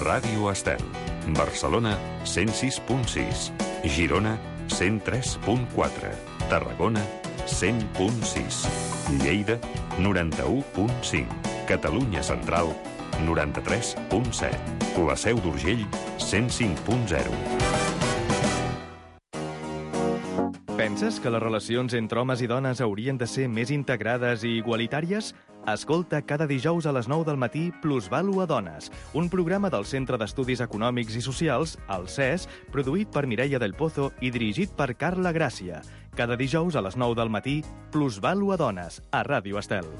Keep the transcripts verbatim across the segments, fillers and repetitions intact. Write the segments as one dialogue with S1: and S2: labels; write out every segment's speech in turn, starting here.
S1: Ràdio Estel. Barcelona, cent sis punt sis. Girona, cent tres punt quatre. Tarragona, cent punt sis. Lleida, noranta-u punt cinc. Catalunya Central, noranta-tres punt set. La Seu d'Urgell, cent cinc punt zero.
S2: Penses que les relacions entre homes i dones haurien de ser més integrades i igualitàries? Escolta cada dijous a les nou del matí Plusvàlua Dones, un programa del Centre d'Estudis Econòmics i Socials, el C E S, produït per Mireia del Pozo i dirigit per Carla Gràcia. Cada dijous a les nou del matí, Plusvàlua Dones, a Ràdio Estel.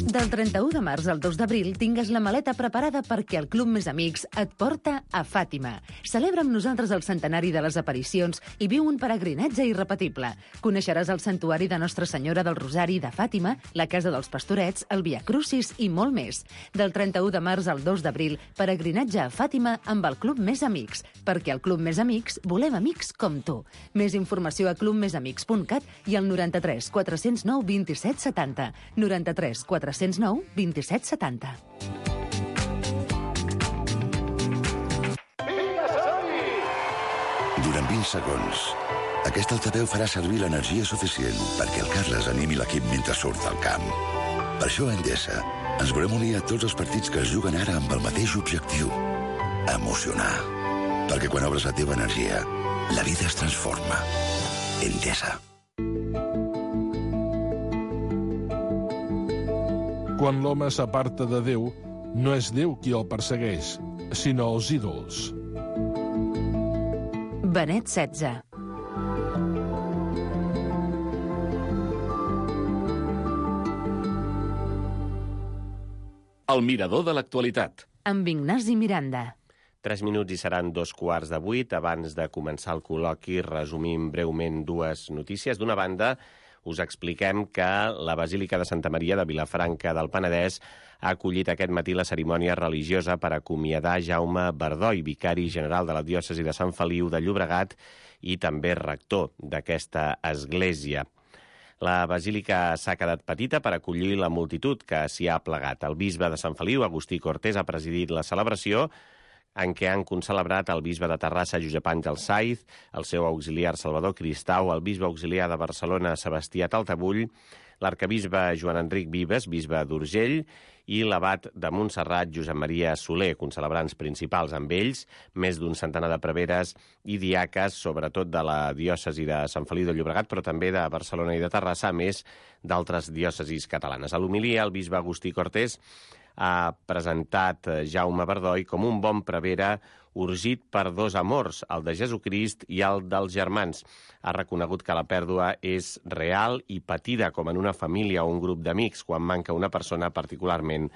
S3: Del trenta-u de març al dos d'abril tingues la maleta preparada perquè el Club Més Amics et porta a Fàtima. Celebra amb nosaltres el centenari de les aparicions i viu un peregrinatge irrepetible. Coneixeràs el santuari de Nostra Senyora del Rosari de Fàtima, la Casa dels Pastorets, el Via Crucis i molt més. Del trenta-u de març al dos d'abril, peregrinatge a Fàtima amb el Club Més Amics, perquè al Club Més Amics volem amics com tu. Més informació a club més amics punt cat i al noranta-tres quatre-cents nou vint-i-set setanta. noranta-tres quatre-cents nou vint-i-set setanta.
S4: Durant vint segons, aquest altaveu farà servir l'energia suficient perquè el Carles animi l'equip mentre surt al camp. Per això a Endesa ens volem unir a tots els partits que es juguen ara amb el mateix objectiu: emocionar. Perquè quan obres la teva energia, la vida es transforma. Endesa.
S5: Quan l'home s'aparta de Déu, no és Déu qui el persegueix, sinó els ídols.
S3: Benet setze.
S6: El mirador de l'actualitat.
S3: Amb Ignasi Miranda.
S6: Tres minuts i seran dos quarts de vuit. Abans de començar el col·loqui, resumim breument dues notícies. D'una banda, us expliquem que la Basílica de Santa Maria de Vilafranca del Penedès ha acollit aquest matí la cerimònia religiosa per acomiadar Jaume Bardoi, vicari general de la diòcesi de Sant Feliu de Llobregat i també rector d'aquesta església. La basílica s'ha quedat petita per acollir la multitud que s'hi ha plegat. El bisbe de Sant Feliu, Agustí Cortés, ha presidit la celebració, en què han concelebrat el bisbe de Terrassa, Josep Àngel Saiz, el seu auxiliar Salvador Cristau, el bisbe auxiliar de Barcelona, Sebastià Taltabull, l'arcabisbe Joan Enric Vives, bisbe d'Urgell, i l'abat de Montserrat, Josep Maria Soler, concelebrants principals amb ells, més d'un centenar de preveres i diaques, sobretot de la diòcesi de Sant Feliu de Llobregat, però també de Barcelona i de Terrassa, a més d'altres diòcesis catalanes. A l'homilia, el bisbe Agustí Cortés ha presentat Jaume Bardoi com un bon prevere urgit per dos amors, el de Jesucrist i el dels germans. Ha reconegut que la pèrdua és real i patida com en una família o un grup d'amics quan manca una persona particularment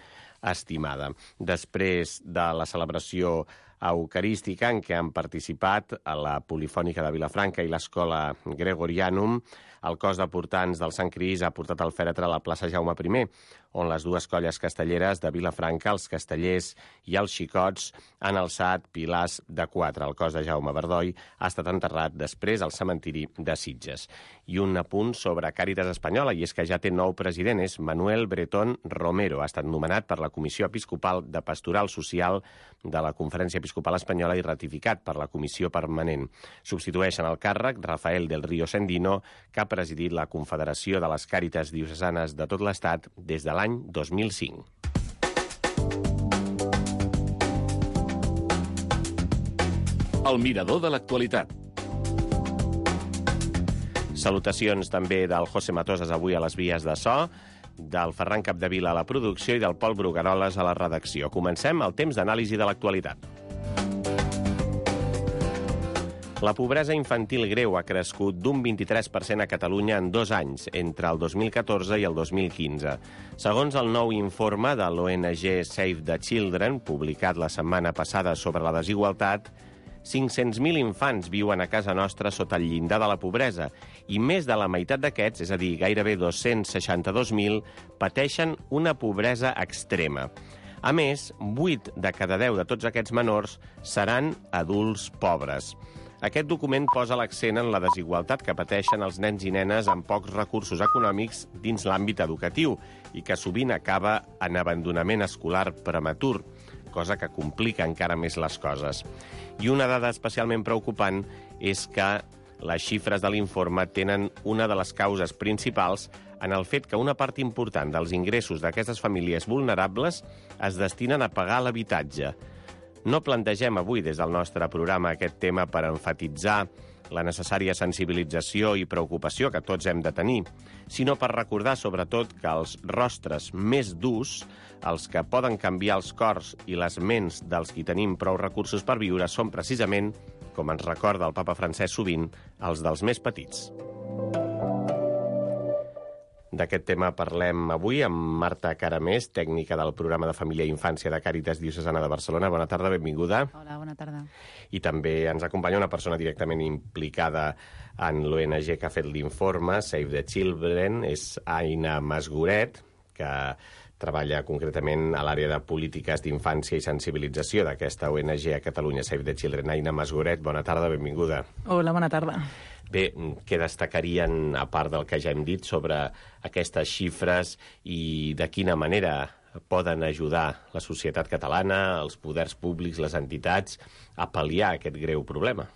S6: estimada. Després de la celebració eucarística en què han participat a la Polifònica de Vilafranca i l'Escola Gregorianum, el cos de portants del Sant Crist ha portat el fèretre a la plaça Jaume primer, on les dues colles castelleres de Vilafranca, els castellers i els xicots, han alçat pilars de quatre. El cos de Jaume Bardoi ha estat enterrat després al cementiri de Sitges. I un apunt sobre Càritas Espanyola, i és que ja té nou president, és Manuel Bretón Romero. Ha estat nomenat per la Comissió Episcopal de Pastoral Social de la Conferència Episcopal Espanyola i ratificat per la Comissió Permanent. Substitueixen el càrrec Rafael del Río Sendino, que ha presidit la Confederació de les Càritas Diocesanes de tot l'Estat des de l'any dos mil cinc. El mirador de l'actualitat. Salutacions també del José Matosas avui a les vies de so, del Ferran Capdevila a la producció i del Pol Brugueroles a la redacció. Comencem el temps d'anàlisi de l'actualitat. La pobresa infantil greu ha crescut d'un vint-i-tres per cent a Catalunya en dos anys, entre el dos mil catorze i el dos mil quinze. Segons el nou informe de l'O N G Save the Children, publicat la setmana passada sobre la desigualtat, cinc-cents mil infants viuen a casa nostra sota el llindar de la pobresa i més de la meitat d'aquests, és a dir, gairebé dos-cents seixanta-dos mil, pateixen una pobresa extrema. A més, vuit de cada deu de tots aquests menors seran adults pobres. Aquest document posa l'accent en la desigualtat que pateixen els nens i nenes amb pocs recursos econòmics dins l'àmbit educatiu i que sovint acaba en abandonament escolar prematur, cosa que complica encara més les coses. I una dada especialment preocupant és que les xifres de l'informe tenen una de les causes principals en el fet que una part important dels ingressos d'aquestes famílies vulnerables es destinen a pagar l'habitatge. No plantegem avui des del nostre programa aquest tema per enfatitzar la necessària sensibilització i preocupació que tots hem de tenir, sinó per recordar sobretot que els rostres més durs, els que poden canviar els cors i les ments dels qui tenim prou recursos per viure, són precisament, com ens recorda el papa Francesc sovint, els dels més petits. D'aquest tema parlem avui amb Marta Caramés, tècnica del programa de Família i Infància de Càritas Diocesana de Barcelona. Bona tarda, benvinguda.
S7: Hola, bona tarda.
S6: I també ens acompanya una persona directament implicada en l'O N G que ha fet l'informe, Save the Children, és Aina Masgoret, que treballa concretament a l'àrea de polítiques d'infància i sensibilització d'aquesta O N G a Catalunya, Save the Children. Aina Masgoret, bona tarda, benvinguda.
S7: Hola, bona tarda.
S6: Bé, què destacarien, a part del que ja hem dit, sobre aquestes xifres i de quina manera poden ajudar la societat catalana, els poders públics, les entitats, a pal·liar aquest greu problema?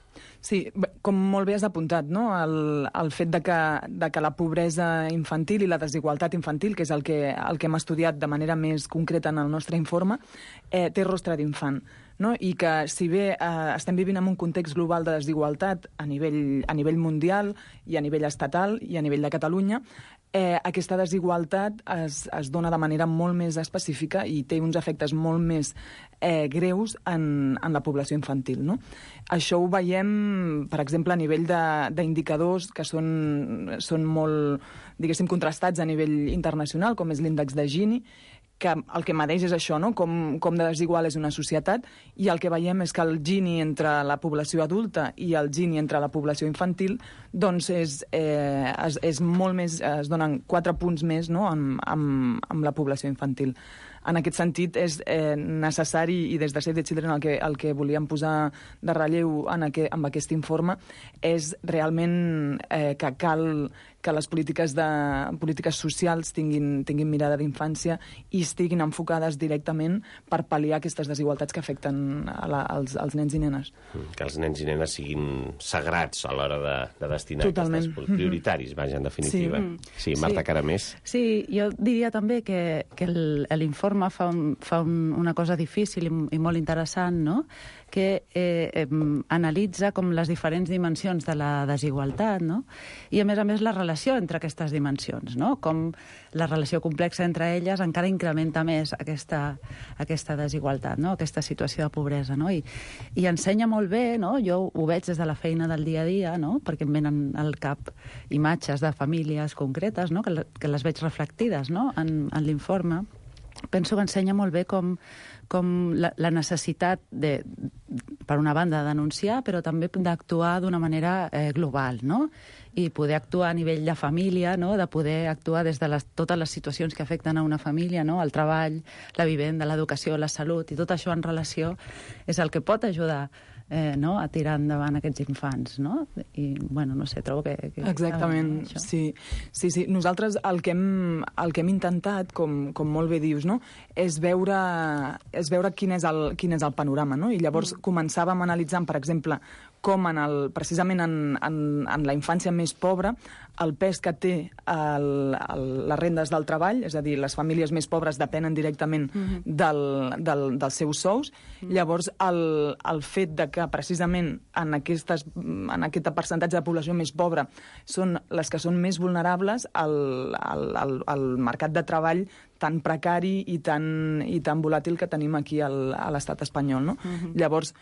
S7: Sí, com molt bé has apuntat, no? el, el fet de que, de que la pobresa infantil i la desigualtat infantil, que és el que, el que hem estudiat de manera més concreta en el nostre informe, eh, té rostre d'infant. No? I que, si bé eh, estem vivint en un context global de desigualtat a nivell, a nivell mundial i a nivell estatal i a nivell de Catalunya, eh, aquesta desigualtat es, es dona de manera molt més específica i té uns efectes molt més eh, greus en, en la població infantil. No? Això ho veiem, per exemple, a nivell d'indicadors que són, són molt, diguéssim, contrastats a nivell internacional, com és l'índex de Gini, que el que medeix és això, no? com, com de desigual és una societat, i el que veiem és que el Gini entre la població adulta i el Gini entre la població infantil doncs és, eh, és, és molt més, es donen quatre punts més, no? amb, amb, amb la població infantil. En aquest sentit, és eh, necessari, i des de Save the Children el que, el que volíem posar de relleu en, aqu en aquest informe, és realment eh, que cal que les polítiques, de, polítiques socials tinguin, tinguin mirada d'infància i estiguin enfocades directament per pal·liar aquestes desigualtats que afecten a la, als, als nens i nenes.
S6: Que els nens i nenes siguin sagrats a l'hora de, de destinar
S7: Totalment.
S6: aquestes prioritaris, vaja, en definitiva. Sí, sí Marta
S8: sí.
S6: Caramés.
S8: Sí, jo diria també que, que l'informe fa, un, fa un, una cosa difícil i, i molt interessant, no? que eh, eh, analitza com les diferents dimensions de la desigualtat, no? I, a més a més, la relació entre aquestes dimensions, no? Com la relació complexa entre elles encara incrementa més aquesta, aquesta desigualtat, no? Aquesta situació de pobresa, no? I, i ensenya molt bé, no? Jo ho veig des de la feina del dia a dia, no? Perquè em venen al cap imatges de famílies concretes, no? que, que les veig reflectides, no? en, en l'informe. Penso que ensenya molt bé com com la, la necessitat de, per una banda, de denunciar, però també d'actuar d'una manera eh, global, no? I poder actuar a nivell de família, no? De poder actuar des de les, totes les situacions que afecten a una família, no? El treball, la vivenda, l'educació, la salut, i tot això en relació és el que pot ajudar Eh, no? a tirar endavant aquests infants, no? I, bueno, no sé, trobo que... que
S7: Exactament,
S8: això.
S7: sí. sí, sí. Nosaltres el que hem, el que hem intentat, com, com molt bé dius, no? és, veure, és veure quin és el, quin és el panorama, no? I llavors mm. començàvem analitzant, per exemple, com en el, precisament en, en, en la infància més pobra, el pes que té el, el, les rendes del treball, és a dir, les famílies més pobres depenen directament mm-hmm. del, del, dels seus sous. Mm. Llavors, el, el fet de que precisament en, aquestes, en aquest percentatge de població més pobra són les que són més vulnerables al, al, al, al mercat de treball tan precari i tan, i tan volàtil que tenim aquí al, a l'estat espanyol, no? Mm-hmm. Llavors,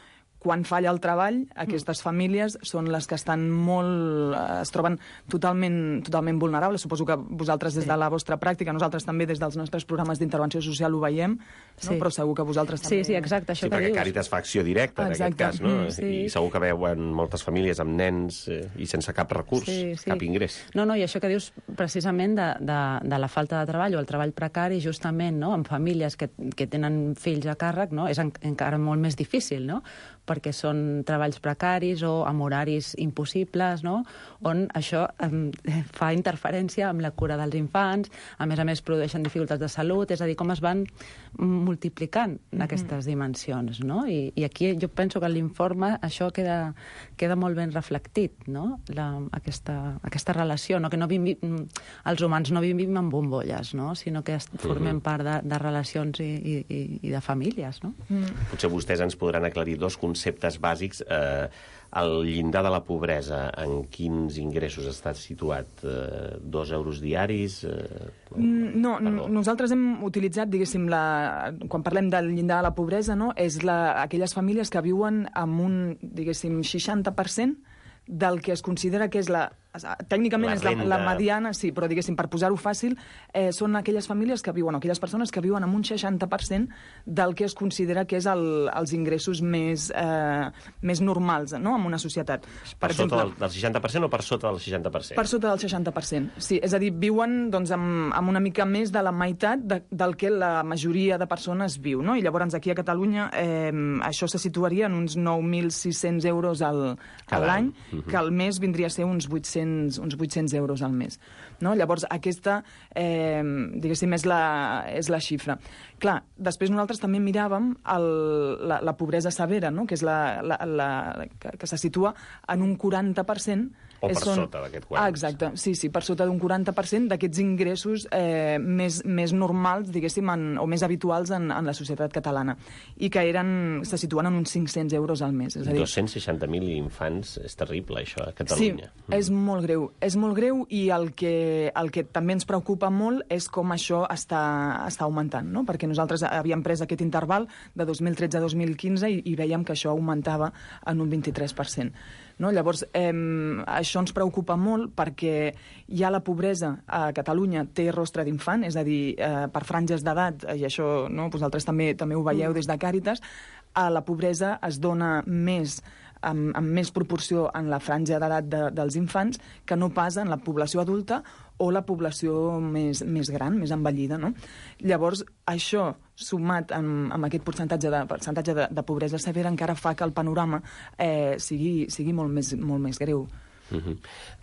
S7: quan falla el treball, aquestes famílies són les que estan molt... es troben totalment, totalment vulnerables. Suposo que vosaltres, des de la vostra pràctica, nosaltres també des dels nostres programes d'intervenció social ho veiem, no?
S8: Sí.
S7: Però segur que vosaltres també...
S8: Sí, sí, exacte, això
S6: sí,
S8: que
S6: perquè
S8: dius.
S6: Càritas fa acció directa, en aquest cas, no?
S8: Mm, sí.
S6: I segur que veuen moltes famílies amb nens eh, i sense cap recurs,
S8: sí, sí.
S6: cap ingrés.
S8: No, no, i això que dius precisament de, de, de la falta de treball o el treball precari, justament, no?, en famílies que, que tenen fills a càrrec, no?, és en, encara molt més difícil, no?, perquè són treballs precaris o amb horaris impossibles, no? On això eh, fa interferència amb la cura dels infants, a més a més produeixen dificultats de salut, és a dir, com es van multiplicant mm-hmm. aquestes dimensions, no? I, i aquí jo penso que en l'informe això queda, queda molt ben reflectit, no? La, aquesta, aquesta relació, no? Que no vivim, els humans no vivim en bombolles, no? Sinó que formem part de, de relacions i, i, i de famílies, no?
S6: Mm. Potser vostès ens podran aclarir dos conceptes bàsics. Eh, el llindar de la pobresa, en quins ingressos està situat? Eh, dos euros diaris? Eh,
S7: no,
S6: perdó.
S7: Nosaltres hem utilitzat, diguéssim, la, quan parlem del llindar de la pobresa, no? És la, aquelles famílies que viuen amb un, diguéssim, seixanta per cent del que es considera que és la... Tècnicament
S6: la
S7: és la, la mediana, sí, però diguéssim, per posar-ho fàcil, eh, són aquelles famílies que viuen, o aquelles persones que viuen amb un seixanta per cent del que es considera que és el, els ingressos més, eh, més normals, no?, en una societat.
S6: Per, per exemple, sota del, del seixanta per cent o per sota del seixanta per cent?
S7: Per sota del seixanta per cent, sí. És a dir, viuen doncs, amb, amb una mica més de la meitat de, del que la majoria de persones viu, no? I llavors aquí a Catalunya eh, això se situaria en uns nou mil sis-cents euros al, a l'any, uh-huh. que al mes vindria a ser uns vuit-cents uns vuit-cents euros al mes. No? Llavors, aquesta, eh, diguéssim, és la, és la xifra. Clar, després nosaltres també miràvem el, la, la pobresa severa, no? Que és la, la, la, que, que se situa en un quaranta per cent.
S6: O per
S7: són...
S6: sota d'aquest quaranta.
S7: Ah, exacte, sí, sí, per sota d'un quaranta per cent d'aquests ingressos eh, més, més normals, diguéssim, en, o més habituals en, en la societat catalana, i que eren, se situen en uns cinc-cents euros al mes. És a dir...
S6: dos-cents seixanta mil infants, és terrible, això, a Catalunya.
S7: Sí, mm. és molt greu, és molt greu, i el que, el que també ens preocupa molt és com això està, està augmentant, no? Perquè nosaltres havíem pres aquest interval de dos mil tretze a dos mil quinze i, i veiem que això augmentava en un vint-i-tres per cent. No? Llavors, eh, això ens preocupa molt perquè ja la pobresa a Catalunya té rostre d'infant, és a dir, eh, per franges d'edat, i això no? Vosaltres també, també ho veieu des de Càritas, a la pobresa es dona més amb, amb més proporció en la franja d'edat de, dels infants que no pas en la població adulta o la població més, més gran, més envellida, no? Llavors, això, sumat amb, amb aquest percentatge, de, percentatge de, de pobresa severa, encara fa que el panorama eh, sigui, sigui molt més, molt més greu.
S6: Uh-huh.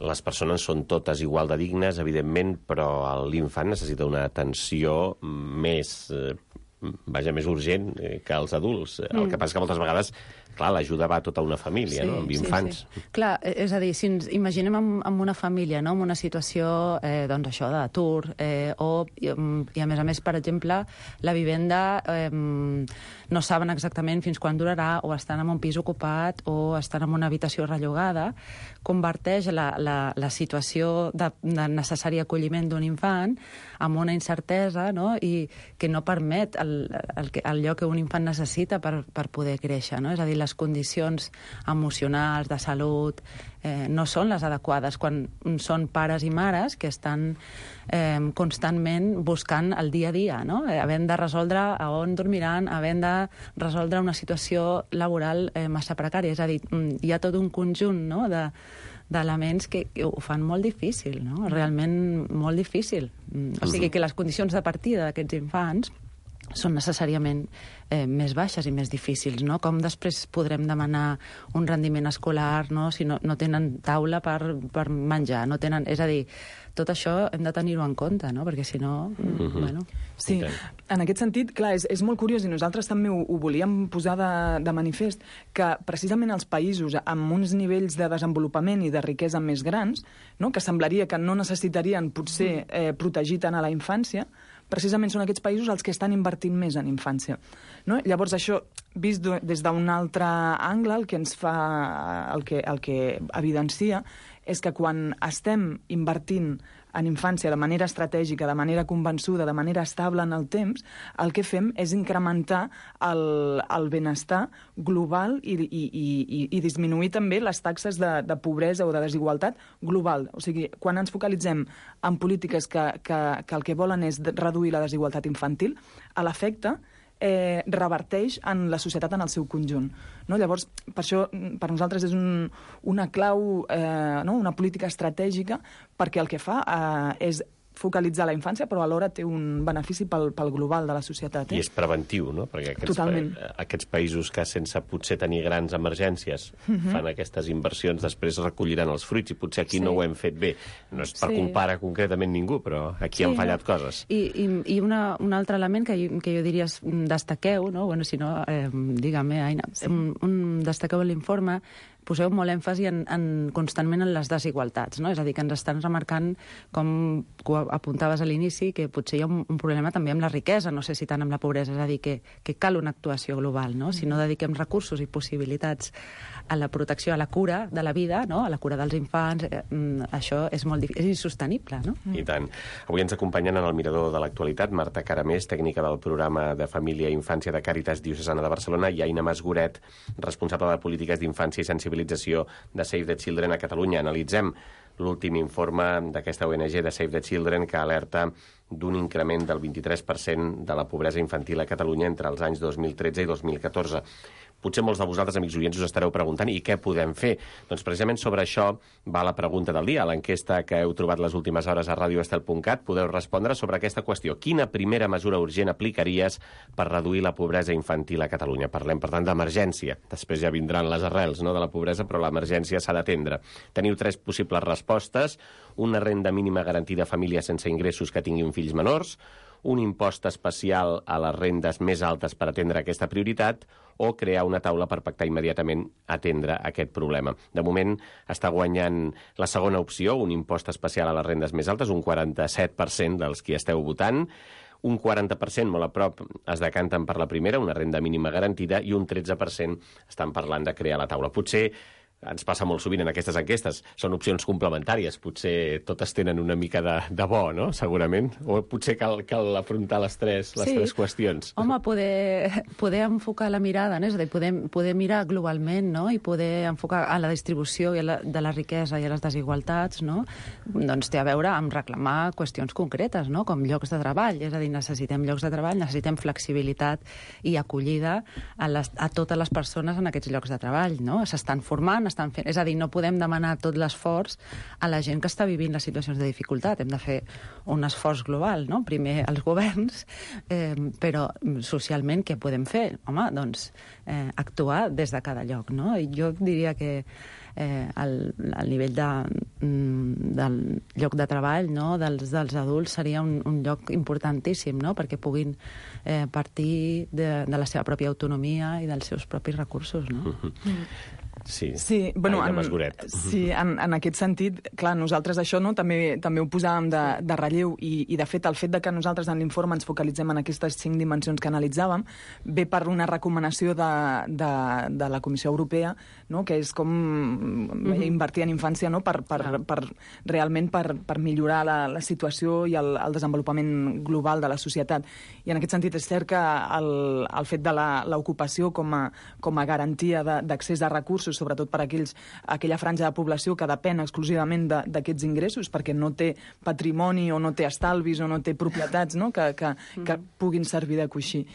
S6: Les persones són totes igual de dignes, evidentment, però l'infant necessita una atenció més... Eh, vaja, més urgent que els adults. Mm. El que passa que moltes vegades, clar, l'ajuda va a tota una família, sí, no? Amb infants.
S8: Sí, sí. Clar, és a dir, si ens imaginem amb, amb una família, no? Amb una situació, eh, doncs això, d'atur, eh, o, i, i a més a més, per exemple, la vivenda eh, no saben exactament fins quan durarà, o estan en un pis ocupat, o estan en una habitació rellogada, converteix la, la, la situació de, de necessari acolliment d'un infant amb una incertesa, no? I que no permet el, el, el, allò que un infant necessita per, per poder créixer, no? És a dir, les condicions emocionals, de salut, eh, no són les adequades quan són pares i mares que estan eh, constantment buscant el dia a dia, no? Eh, havent de resoldre a on dormiran, havent de resoldre una situació laboral eh, massa precària. És a dir, hi ha tot un conjunt, no?, de d'elements que, que ho fan molt difícil, no? Realment molt difícil. O sigui que les condicions de partida d'aquests infants són necessàriament eh, més baixes i més difícils, no? Com després podrem demanar un rendiment escolar, no?, si no, no tenen taula per, per menjar, no tenen... És a dir, tot això hem de tenir-ho en compte, no?, perquè si no... Mm-hmm. Bueno...
S7: Sí, en aquest sentit, clar, és, és molt curiós, i nosaltres també ho, ho volíem posar de, de manifest, que precisament els països amb uns nivells de desenvolupament i de riquesa més grans, no?, que semblaria que no necessitarien potser eh, protegir tant a la infància, precisament són aquests països els que estan invertint més en infància. No? Llavors, això, vist des d'un altre angle, el que ens fa, el que, el que evidencia és que quan estem invertint en infància de manera estratègica, de manera convençuda, de manera estable en el temps, el que fem és incrementar el, el benestar global i, i, i, i disminuir també les taxes de, de pobresa o de desigualtat global. O sigui, quan ens focalitzem en polítiques que, que, que el que volen és reduir la desigualtat infantil, a l'efecte eh, reverteix en la societat en el seu conjunt. No? Llavors, per això, per nosaltres és un, una clau, eh, no? una política estratègica, perquè el que fa eh, és focalitzar la infància, però alhora té un benefici pel, pel global de la societat. Eh?
S6: I és preventiu, no? Perquè aquests,
S7: Totalment.
S6: pa aquests països que sense potser tenir grans emergències uh-huh. fan aquestes inversions, després recolliran els fruits, i potser aquí sí. no ho hem fet bé. No és per sí. culpar concretament ningú, però aquí sí, han fallat no? coses.
S8: I, i, i una, un altre element que jo, que jo diria destaqueu, no? Bueno, si no, eh, digue-me, Aina, sí. un, un destaqueu en l'informe, poseu molt èmfasi en, en, constantment en les desigualtats, no? És a dir, que ens estan remarcant, com apuntaves a l'inici, que potser hi ha un, un problema també amb la riquesa, no sé si tant amb la pobresa, és a dir, que, que cal una actuació global, no? Si no dediquem recursos i possibilitats a la protecció, a la cura de la vida, no? A la cura dels infants, eh, això és molt difícil, és insostenible, no?
S6: I tant. Avui ens acompanyen en el Mirador de l'Actualitat Marta Caramés, tècnica del programa de Família i Infància de Càritas Diocesana de Barcelona, i Aina Masgoret, responsable de polítiques d'infància i sensibilització de Save the Children a Catalunya. Analitzem l'últim informe d'aquesta O N G de Save the Children, que alerta d'un increment del vint-i-tres per cent de la pobresa infantil a Catalunya entre els anys dos mil tretze i dos mil catorze. Potser molts de vosaltres, amics oients, us estareu preguntant i què podem fer? Doncs precisament sobre això va la pregunta del dia. A l'enquesta que heu trobat les últimes hores a radio estel punt cat podeu respondre sobre aquesta qüestió. Quina primera mesura urgent aplicaries per reduir la pobresa infantil a Catalunya? Parlem, per tant, d'emergència. Després ja vindran les arrels, no?, de la pobresa, però l'emergència s'ha d'atendre. Teniu tres possibles respostes: una renda mínima garantida a famílies sense ingressos que tinguin fills menors, un impost especial a les rendes més altes per atendre aquesta prioritat, o crear una taula per pactar immediatament atendre aquest problema. De moment està guanyant la segona opció, un impost especial a les rendes més altes, un quaranta-set per cent dels qui esteu votant. Un quaranta per cent, molt a prop, es decanten per la primera, una renda mínima garantida, i un tretze per cent estan parlant de crear la taula. Potser ens passa molt sovint en aquestes enquestes, són opcions complementàries, potser totes tenen una mica de, de bo, no?, segurament, o potser cal, cal afrontar les tres, les sí. tres qüestions.
S8: Home, poder, poder enfocar la mirada, no? És a dir, poder, poder mirar globalment, no?, i poder enfocar a la distribució i a la, de la riquesa i a les desigualtats, no?, doncs té a veure amb reclamar qüestions concretes, no?, com llocs de treball, és a dir, necessitem llocs de treball, necessitem flexibilitat i acollida a, les, a totes les persones en aquests llocs de treball, no?, s'estan formant, estan fent. És a dir, no podem demanar tot l'esforç a la gent que està vivint les situacions de dificultat. Hem de fer un esforç global, no? Primer els governs, eh, però socialment què podem fer? Home, doncs eh, actuar des de cada lloc, no? I jo diria que eh, el, el nivell de, del lloc de treball, no?, dels, dels adults seria un, un lloc importantíssim, no?, perquè puguin eh, partir de, de la seva pròpia autonomia i dels seus propis recursos, no? Mm.
S6: Sí,
S7: sí, bueno,
S6: Aina
S7: en,
S6: Masgoret.
S7: Sí, en, en aquest sentit, clar, nosaltres això, no, també també ho posàvem de, de relleu, i, i de fet el fet de que nosaltres en l'informe ens focalitzem en aquestes cinc dimensions que analitzàvem ve per una recomanació de, de, de la Comissió Europea, no?, que és com mm-hmm. invertir en infància, no?, per, per, per realment per, per millorar la, la situació i el, el desenvolupament global de la societat. I en aquest sentit és cert que el, el fet de l'ocupació com, a, com a garantia d'accés a recursos, sobretot per a aquells, aquella franja de població que depèn exclusivament d'aquests ingressos, perquè no té patrimoni o no té estalvis o no té propietats, no?, que, que, que puguin servir de coixí.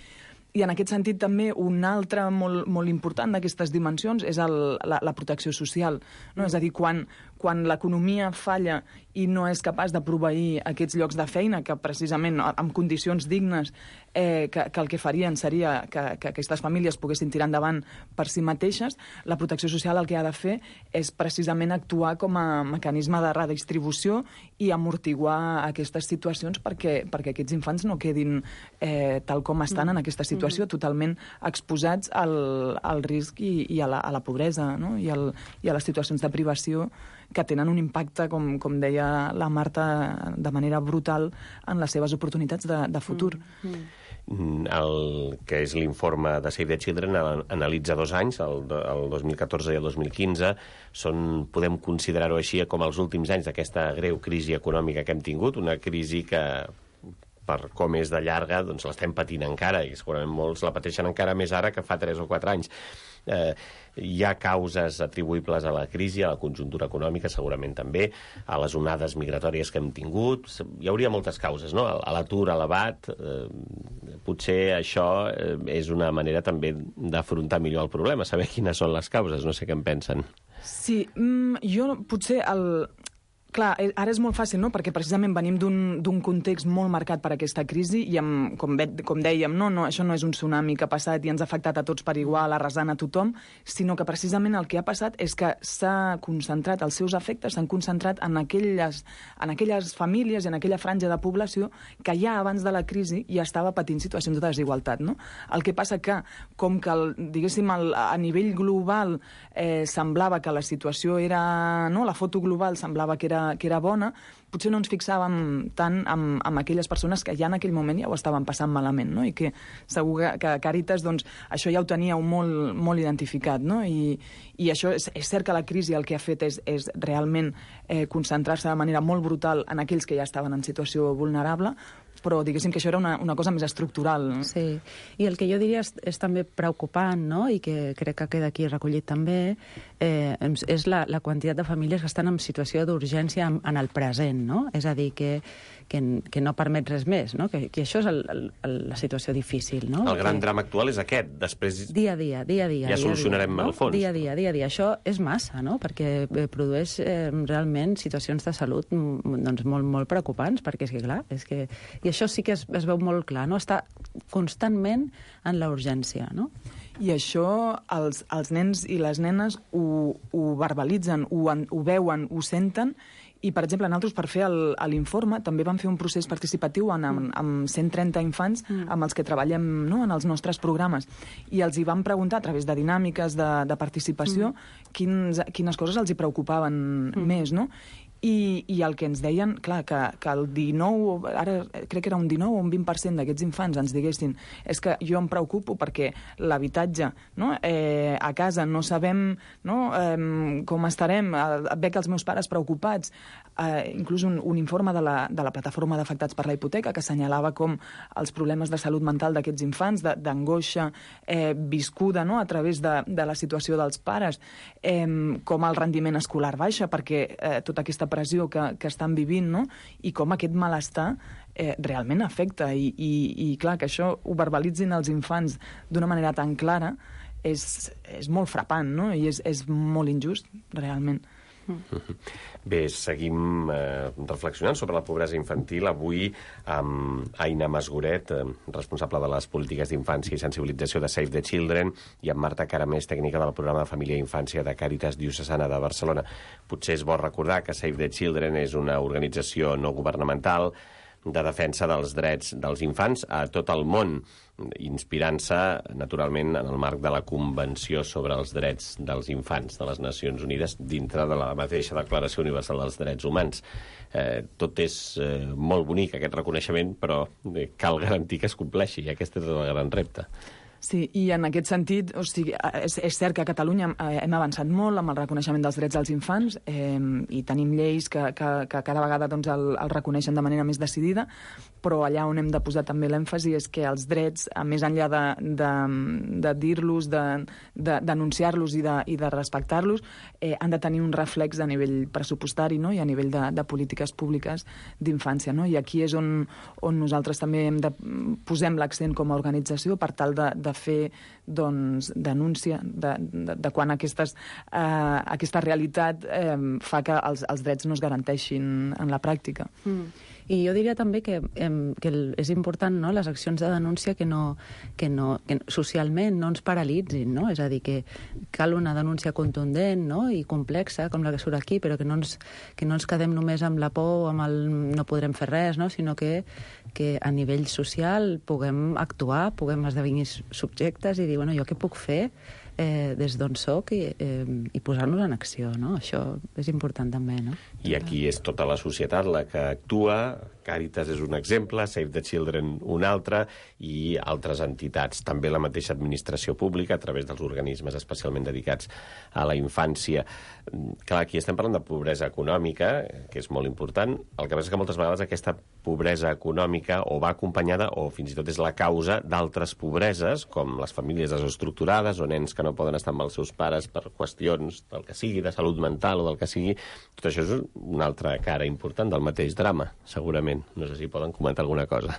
S7: I en aquest sentit també un altre molt, molt important d'aquestes dimensions és el, la, la protecció social, no? És a dir, quan, quan l'economia falla i no és capaç de proveir aquests llocs de feina que precisament amb condicions dignes eh, que, que el que farien seria que, que aquestes famílies poguessin tirar endavant per si mateixes, la protecció social el que ha de fer és precisament actuar com a mecanisme de redistribució i amortiguar aquestes situacions perquè, perquè aquests infants no quedin eh, tal com estan en aquesta situació, totalment exposats al, al risc i, i a, la, a la pobresa, no?, I, el, i a les situacions de privació que tenen un impacte, com, com deia la Marta, de manera brutal en les seves oportunitats de, de futur.
S6: Mm. El que és l'informe de Save the Children analitza dos anys, el, el dos mil catorze i el dos mil quinze. Són, podem considerar-ho així, com els últims anys d'aquesta greu crisi econòmica que hem tingut, una crisi que, per com és de llarga, doncs l'estem patint encara, i segurament molts la pateixen encara més ara que fa tres o quatre anys. Eh, hi ha causes atribuïbles a la crisi, a la conjuntura econòmica, segurament també, a les onades migratòries que hem tingut. Hi hauria moltes causes, no? A l'atur elevat, eh, potser això eh, és una manera també d'afrontar millor el problema, saber quines són les causes, no sé què en pensen.
S7: Sí, mm, jo potser el... Clar, ara és molt fàcil, no?, perquè precisament venim d'un context molt marcat per aquesta crisi i, amb, com, ve, com dèiem, no, no, això no és un tsunami que ha passat i ens ha afectat a tots per igual, arrasant a tothom, sinó que precisament el que ha passat és que s'ha concentrat, els seus efectes s'han concentrat en aquelles, en aquelles famílies i en aquella franja de població que ja abans de la crisi ja estava patint situacions de desigualtat, no? El que passa que, com que, el, diguéssim, el, a nivell global eh, semblava que la situació era... no? La foto global semblava que era que era bona, potser no ens fixàvem tant amb, amb aquelles persones que ja en aquell moment ja ho estaven passant malament, no? I que segur que Càritas, doncs, això ja ho teníeu molt, molt identificat, no? I, i això és, és cert que la crisi el que ha fet és, és realment eh, concentrar-se de manera molt brutal en aquells que ja estaven en situació vulnerable, però diguéssim que això era una, una cosa més estructural. No?
S8: Sí, i el que jo diria és, és també preocupant, no?, i que crec que queda aquí recollit també, eh, és la, la quantitat de famílies que estan en situació d'urgència en, en el present, no? És a dir, que, que, que no permet res més, no? Que, que això és el, el, la situació difícil, no?
S6: El gran
S8: que...
S6: drama actual és aquest, després...
S8: Dia a dia, dia a dia.
S6: Ja
S8: dia
S6: solucionarem
S8: dia, no?
S6: el fons.
S8: Dia a dia, dia a dia. Això és massa, no?, perquè produeix eh, realment situacions de salut doncs, molt, molt preocupants, perquè és que, clar, és que... I això sí que es, es veu molt clar, no? Està constantment en la urgència, no?
S7: I això els, els nens i les nenes ho, ho verbalitzen, ho, ho veuen, ho senten, i, per exemple, nosaltres, per fer l'informe, també vam fer un procés participatiu en, amb, amb cent trenta infants amb els que treballem, no?, en els nostres programes. I els hi vam preguntar, a través de dinàmiques de, de participació, mm. quins, quines coses els hi preocupaven mm. més, no? I, i el que ens deien, clar, que, que el dinou, ara crec que era un dinou o un vint per cent d'aquests infants ens diguessin és que jo em preocupo perquè l'habitatge, no?, eh, a casa no sabem, no?, eh, com estarem, eh, veig els meus pares preocupats, eh, inclús un, un informe de la, de la plataforma d'afectats per la hipoteca que assenyalava com els problemes de salut mental d'aquests infants, d'angoixa eh, viscuda, no?, a través de, de la situació dels pares, eh, com el rendiment escolar baixa perquè eh, tota aquesta pressió que, que estan vivint, no?, i com aquest malestar eh, realment afecta. I, i, I clar, que això ho verbalitzin els infants d'una manera tan clara és, és molt frapant, no?, i és, és molt injust, realment.
S6: Bé, seguim eh, reflexionant sobre la pobresa infantil, avui amb Aina Masgoret, eh, responsable de les polítiques d'infància i sensibilització de Save the Children, i amb Marta Caramés, tècnica del programa de Família i Infància de Càritas Diocesana de Barcelona. Potser és bo recordar que Save the Children és una organització no governamental de defensa dels drets dels infants a tot el món, inspirant-se, naturalment, en el marc de la Convenció sobre els Drets dels Infants de les Nacions Unides, dintre de la mateixa Declaració Universal dels Drets Humans. Eh, tot és eh, molt bonic, aquest reconeixement, però eh, cal garantir que es compleixi, i aquest és el gran repte.
S7: Sí, i en aquest sentit, o sigui, és, és cert que a Catalunya hem avançat molt amb el reconeixement dels drets dels infants eh, i tenim lleis que, que, que cada vegada doncs, el, el reconeixen de manera més decidida, però allà on hem de posar també l'èmfasi és que els drets, més enllà de, de, de dir-los, de, de denunciar-los i de, i de respectar-los, eh, han de tenir un reflex a nivell pressupostari, no?, i a nivell de, de polítiques públiques d'infància, no? I aquí és on, on nosaltres també hem de, posem l'accent com a organització per tal de, de fer doncs, denúncia de, de, de quan aquestes, eh, aquesta realitat eh, fa que els, els drets no es garanteixin en la pràctica.
S8: Mm. I jo diria també que, eh, que és important, no?, les accions de denúncia que, no, que, no, que socialment no ens paralitzin, no? És a dir, que cal una denúncia contundent, no?, i complexa, com la que surt aquí, però que no ens, que no ens quedem només amb la por o amb el no podrem fer res, no?, sinó que, que a nivell social puguem actuar, puguem esdevenir subjectes i dir, bueno, jo què puc fer eh, des d'on soc i, eh, i posar-nos en acció, no? Això és important també, no?
S6: I aquí és tota la societat la que actua, Càritas és un exemple, Save the Children un altre, i altres entitats, també la mateixa administració pública, a través dels organismes especialment dedicats a la infància. Clar, aquí estem parlant de pobresa econòmica, que és molt important. El que passa és que moltes vegades aquesta pobresa econòmica o va acompanyada, o fins i tot és la causa d'altres pobreses, com les famílies desestructurades, o nens que no poden estar amb els seus pares per qüestions del que sigui, de salut mental o del que sigui. Tot això és una altra cara important del mateix drama, segurament. No sé si poden comentar alguna cosa.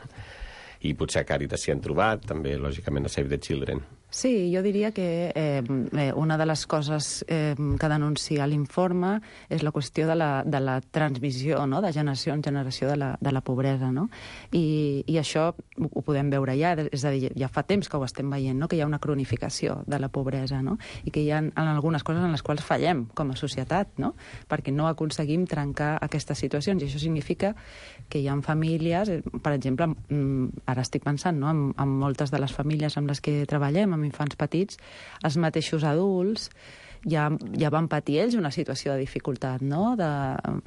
S6: I potser a Càritas s'hi han trobat, també, lògicament, a Save the Children.
S8: Sí, jo diria que eh, una de les coses eh, que denuncia l'informe és la qüestió de la, de la transmissió, no?, de generació en generació de la, de la pobresa, no? I, i això ho, ho podem veure ja, és a dir, ja fa temps que ho estem veient, no?, que hi ha una cronificació de la pobresa, no?, i que hi ha en algunes coses en les quals fallem com a societat, no?, perquè no aconseguim trencar aquestes situacions, i això significa que hi ha famílies, per exemple, ara estic pensant, no?, en, en moltes de les famílies amb les que treballem, amb infants petits, els mateixos adults ja, ja van patir ells una situació de dificultat, no? De,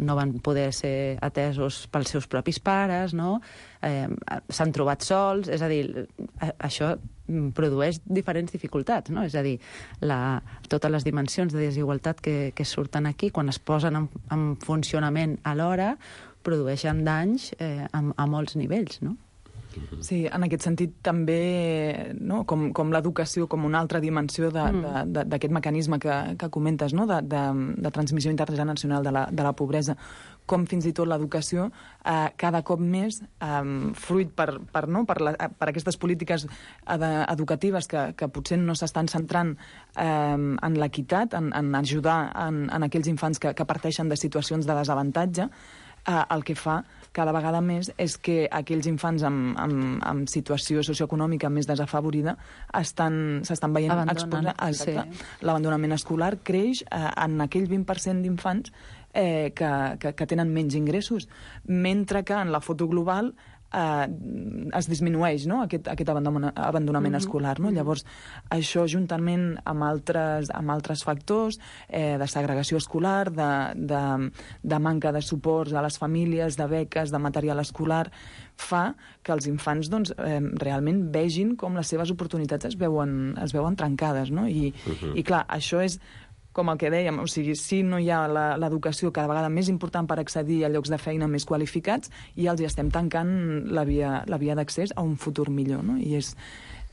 S8: no van poder ser atesos pels seus propis pares, no? Eh, s'han trobat sols, és a dir, això produeix diferents dificultats, no? És a dir, la, totes les dimensions de desigualtat que, que surten aquí, quan es posen en, en funcionament alhora, produeixen danys eh, a, a molts nivells, no?
S7: Sí, en aquest sentit també, no?, com, com l'educació com una altra dimensió d'aquest mecanisme que, que comentes, no?, de, de, de transmissió intergeneracional de la, de la pobresa, com fins i tot l'educació eh, cada cop més, eh, fruit per, per, no? per, la, per aquestes polítiques ed educatives que, que potser no s'estan centrant eh, en l'equitat, en, en ajudar en, en aquells infants que, que parteixen de situacions de desavantatge, eh, el que fa cada vegada més és que aquells infants amb, amb, amb situació socioeconòmica més desafavorida estan, s'estan veient exposats. Sí. L'abandonament escolar creix eh, en aquell vint per cent d'infants eh, que, que, que tenen menys ingressos, mentre que en la foto global eh, es disminueix, no?, aquest, aquest abandonament, abandonament mm-hmm. escolar. No? Llavors, això juntament amb altres, amb altres factors eh, de segregació escolar, de, de, de manca de suports a les famílies, de beques, de material escolar, fa que els infants doncs, eh, realment vegin com les seves oportunitats es veuen, es veuen trencades. No? I, mm-hmm. i clar, això és com el que dèiem, o sigui, si no hi ha l'educació cada vegada més important per accedir a llocs de feina més qualificats, i els hi estem tancant la via, la via d'accés a un futur millor, no? I és,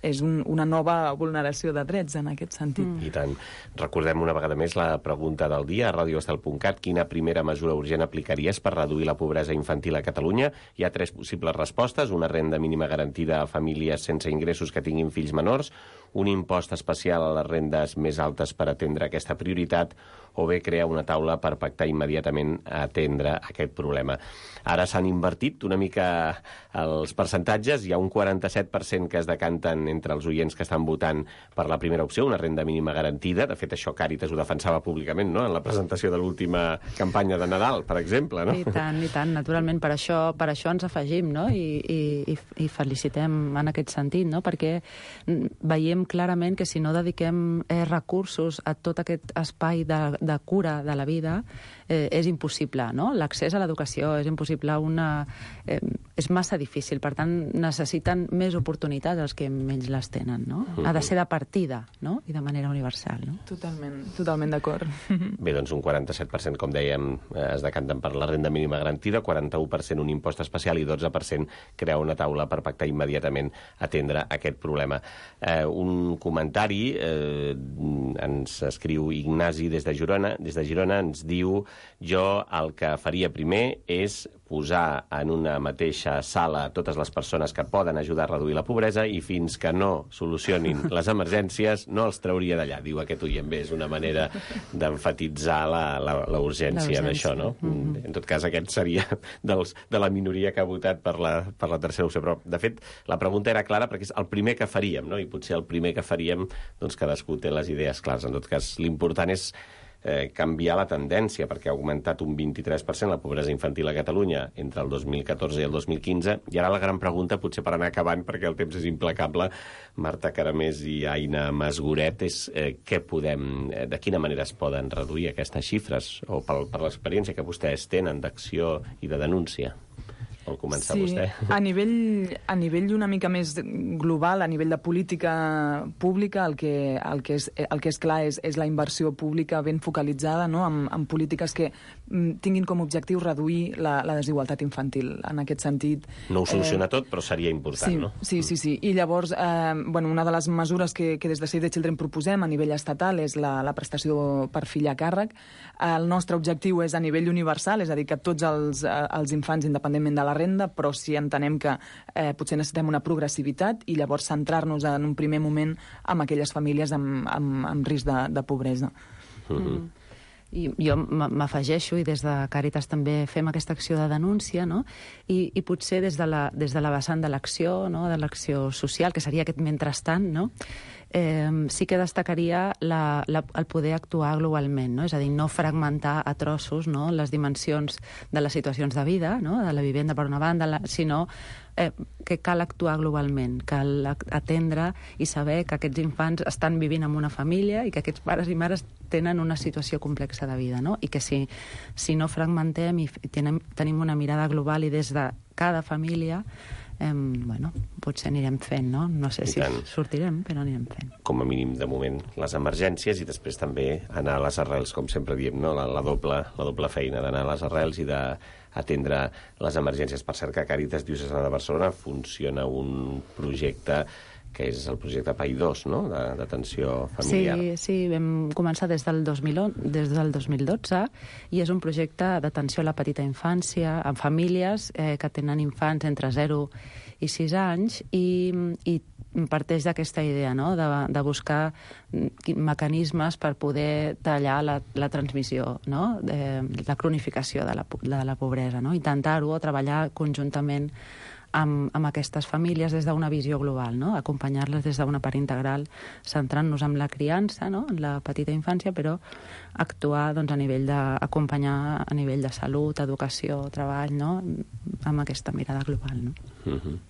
S7: és un, una nova vulneració de drets en aquest sentit.
S6: Mm. I tant. Recordem una vegada més la pregunta del dia a radio estel punt cat. Quina primera mesura urgent aplicaries per reduir la pobresa infantil a Catalunya? Hi ha tres possibles respostes. Una renda mínima garantida a famílies sense ingressos que tinguin fills menors, un impost especial a les rendes més altes per atendre aquesta prioritat, o bé crear una taula per pactar immediatament a atendre aquest problema. Ara s'han invertit una mica els percentatges, hi ha un quaranta-set per cent que es decanten entre els oients que estan votant per la primera opció, una renda mínima garantida. De fet, això Càritas ho defensava públicament, no?, en la presentació de l'última campanya de Nadal, per exemple, no?
S8: I tant, i tant, naturalment, per això, per això ens afegim, no?, i, i, i felicitem en aquest sentit, no?, perquè veiem clarament que si no dediquem eh, recursos a tot aquest espai de, de cura de la vida, eh, és impossible, no? L'accés a l'educació és impossible, una, eh, és massa difícil, per tant, necessiten més oportunitats els que menys les tenen, no? Ha de ser de partida, no?, i de manera universal, no?
S7: Totalment, totalment d'acord.
S6: Bé, doncs un quaranta-set per cent, com dèiem, es decanten per la renda mínima garantida, quaranta-u per cent un impost especial i dotze per cent crear una taula per pactar immediatament atendre aquest problema. Eh, un comentari, eh, ens escriu Ignasi des de Girona, des de Girona ens diu: jo el que faria primer és posar en una mateixa sala totes les persones que poden ajudar a reduir la pobresa i fins que no solucionin les emergències no els trauria d'allà. Diu aquest oient. Bé, és una manera d'emfatitzar la, la, la urgència d'això, no? Mm-hmm. En tot cas, aquest seria dels, de la minoria que ha votat per la, per la tercera opció. Però, de fet, la pregunta era clara perquè és el primer que faríem, no? I potser el primer que faríem, doncs cadascú té les idees clares. En tot cas, l'important és Eh, canviar la tendència, perquè ha augmentat un vint-i-tres per cent la pobresa infantil a Catalunya entre el dos mil catorze i el dos mil quinze, i ara la gran pregunta, potser per anar acabant, perquè el temps és implacable, Marta Caramés i Aina Masgoret, és eh, què podem, eh, de quina manera es poden reduir aquestes xifres, o per, per l'experiència que vostès tenen d'acció i de denúncia? Vol començar
S7: sí,
S6: vostè?
S7: A nivell, a nivell una mica més global, a nivell de política pública, el que, el que, és, el que és clar és, és la inversió pública ben focalitzada, no?, en, en polítiques que mm, tinguin com a objectiu reduir la, la desigualtat infantil. En aquest sentit...
S6: No ho soluciona eh, tot, però seria important,
S7: sí,
S6: no?
S7: Sí, sí, sí. I llavors, eh, bueno, una de les mesures que, que des de Save the Children proposem a nivell estatal és la, la prestació per fill a càrrec. El nostre objectiu és a nivell universal, és a dir, que tots els, els infants, independentment de la renda, però sí entenem que eh, potser necessitem una progressivitat i llavors centrar-nos en un primer moment en aquelles famílies amb, amb, amb risc de, de pobresa.
S8: Mm. I jo m'afegeixo, i des de Càritas també fem aquesta acció de denúncia, no? I, i potser des de la, des de la vessant de l'acció, no? De l'acció social, que seria aquest mentrestant, no? Eh, sí que destacaria la, la, el poder actuar globalment, no? És a dir, no fragmentar a trossos, no? Les dimensions de les situacions de vida, no? De la vivenda per una banda, la, sinó eh, que cal actuar globalment, cal atendre i saber que aquests infants estan vivint en una família i que aquests pares i mares tenen una situació complexa de vida, no? I que si, si no fragmentem i tenim, tenim una mirada global i des de cada família, Eh, bueno, potser anirem fent, no? No sé si sortirem, però anirem fent.
S6: Com a mínim, de moment, les emergències i després també anar a les arrels, com sempre diem, no? La, la, doble, la doble feina d'anar a les arrels i d'atendre les emergències. Per cert, que Càritas Diocesana de Barcelona funciona un projecte que és el projecte P A I dos, no?, d'atenció familiar.
S8: Sí, sí, vam començar des del, dos mil onze, des del dos mil dotze i és un projecte d'atenció a la petita infància, en famílies eh, que tenen infants entre zero i sis anys i, i parteix d'aquesta idea, no?, de, de buscar mecanismes per poder tallar la, la transmissió, no?, de la cronificació de la, de la pobresa, no?, intentar-ho o treballar conjuntament Amb, amb aquestes famílies des d'una visió global, no? Acompanyar-les des d'una part integral, centrant-nos en la criança, no? En la petita infància, però actuar doncs, a nivell d'acompanyar a nivell de salut, educació, treball, no? Amb aquesta mirada global, no?
S6: Mm-hmm.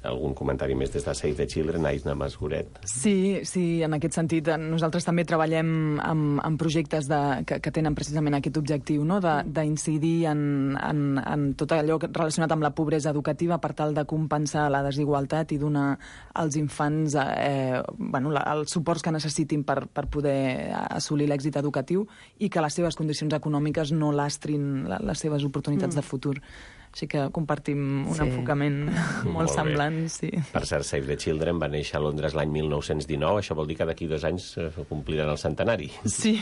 S6: Algun comentari més des de Save the Children, Aisna Masgoret?
S7: Sí, sí, en aquest sentit, nosaltres també treballem amb, amb projectes de, que, que tenen precisament aquest objectiu, no?, d'incidir en, en, en tot allò relacionat amb la pobresa educativa per tal de compensar la desigualtat i donar als infants eh, bueno, la, els suports que necessitin per, per poder assolir l'èxit educatiu i que les seves condicions econòmiques no lastrin la, les seves oportunitats mm. de futur. Així que compartim un sí. enfocament molt, molt semblant. Sí.
S6: Per cert, Save the Children va néixer a Londres l'any mil nou-cents dinou, això vol dir que d'aquí dos anys eh, compliran el centenari.
S7: Sí,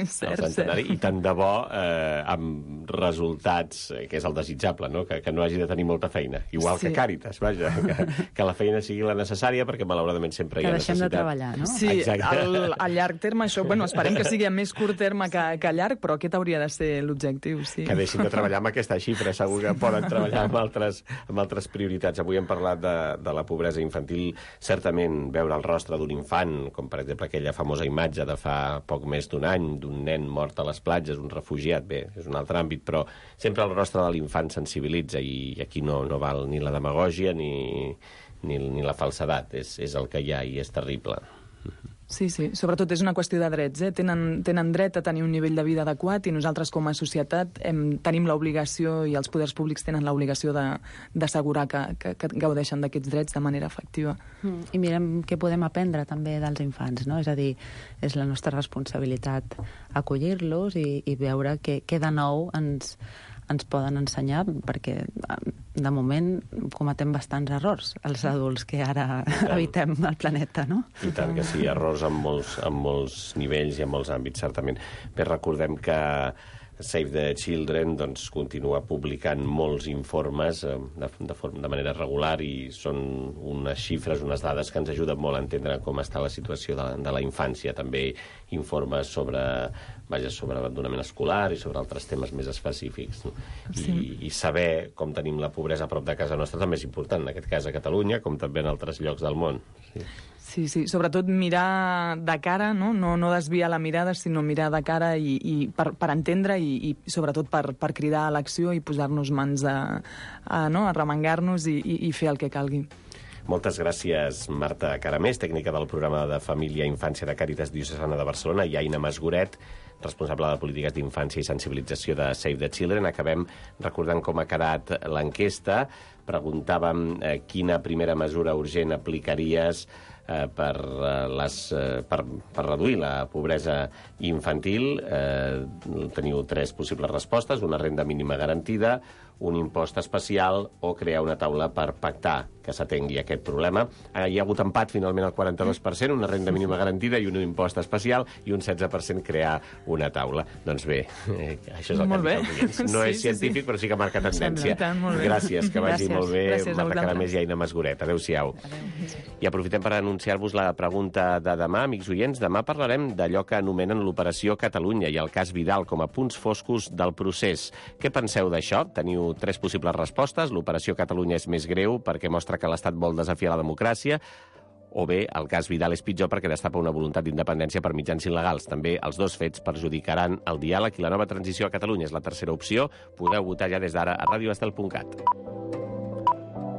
S7: cert,
S6: el centenari.
S7: cert.
S6: I tant de bo, eh, amb resultats, eh, que és el desitjable, no?, que, que no hagi de tenir molta feina. Igual sí. que Càritas, vaja, que, que la feina sigui la necessària, perquè malauradament sempre
S8: que
S6: hi ha
S8: necessitat. Que deixem de treballar, no?
S7: Sí, al, a llarg terme això, bueno, esperem que sigui a més curt terme que, que a llarg, però aquest hauria de ser l'objectiu, sí.
S6: Que deixin de treballar amb aquesta xifra, segur que poden treballar amb altres, amb altres prioritats. Avui hem parlat de, de la pobresa infantil. Certament, veure el rostre d'un infant, com per exemple aquella famosa imatge de fa poc més d'un any, d'un nen mort a les platges, un refugiat, bé, és un altre àmbit, però sempre el rostre de l'infant sensibilitza i aquí no, no val ni la demagògia ni, ni, ni la falsedat. És, és el que hi ha i és terrible.
S7: Sí, sí, sobretot és una qüestió de drets, eh? Tenen, tenen dret a tenir un nivell de vida adequat i nosaltres com a societat hem, tenim l'obligació i els poders públics tenen l'obligació d'assegurar que, que, que gaudeixen d'aquests drets de manera efectiva.
S8: Mm, I mirem què podem aprendre també dels infants, no? És a dir, és la nostra responsabilitat acollir-los i, i veure què, què de nou ens... ens poden ensenyar, perquè de moment cometem bastants errors els adults que ara habitem el planeta, no?
S6: I tant que sí, errors en molts, en molts nivells i en molts àmbits, certament. Bé, recordem que Save the Children doncs, continua publicant molts informes eh, de, de, forma, de manera regular i són unes xifres, unes dades que ens ajuden molt a entendre com està la situació de, de la infància. També informes sobre, vaja, sobre abandonament escolar i sobre altres temes més específics. No? Sí. I, I saber com tenim la pobresa a prop de casa nostra també és important, en aquest cas a Catalunya, com també en altres llocs del món. Sí.
S7: Sí, sí, sobretot mirar de cara, no, no, no desviar la mirada, sinó mirar de cara i, i per, per entendre i, i sobretot per, per cridar a l'acció i posar-nos mans a, a, no, a remengar-nos i, i, i fer el que calgui.
S6: Moltes gràcies, Marta Caramés, tècnica del programa de Família i Infància de Càritas Diocesana de Barcelona, i Aina Masgoret, responsable de polítiques d'infància i sensibilització de Save the Children. Acabem recordant com ha quedat l'enquesta preguntàvem eh, quina primera mesura urgent aplicaries eh, per, eh, les, eh, per, per reduir la pobresa infantil. Eh, teniu tres possibles respostes: una renda mínima garantida, un impost especial o crear una taula per pactar que s'atengui aquest problema. Eh, hi ha hagut empat finalment al quaranta-dos per cent, una renda mínima garantida i un impost especial, i un setze per cent crear una taula. Doncs bé, eh, això és el
S7: molt
S6: que
S7: han dit els
S6: No
S7: sí,
S6: és científic, sí, sí. però sí que marca tendència.
S7: Tant, molt bé.
S6: Gràcies, que vagi
S8: Gràcies.
S6: molt bé.
S7: Gràcies a
S6: Marta
S7: vosaltres.
S6: Caramés i Aina Masgoret. Adéu-siau. I aprofitem per anunciar-vos la pregunta de demà, amics oients. Demà parlarem d'allò que anomenen l'Operació Catalunya i el cas Vidal com a punts foscos del procés. Què penseu d'això? Teniu tres possibles respostes. L'Operació Catalunya és més greu perquè mostra que l'Estat vol desafiar la democràcia, o bé el cas Vidal és pitjor perquè destapa una voluntat d'independència per mitjans il·legals. També els dos fets perjudicaran el diàleg i la nova transició a Catalunya. És la tercera opció. Podeu votar ja des d'ara a radio estel punt cat.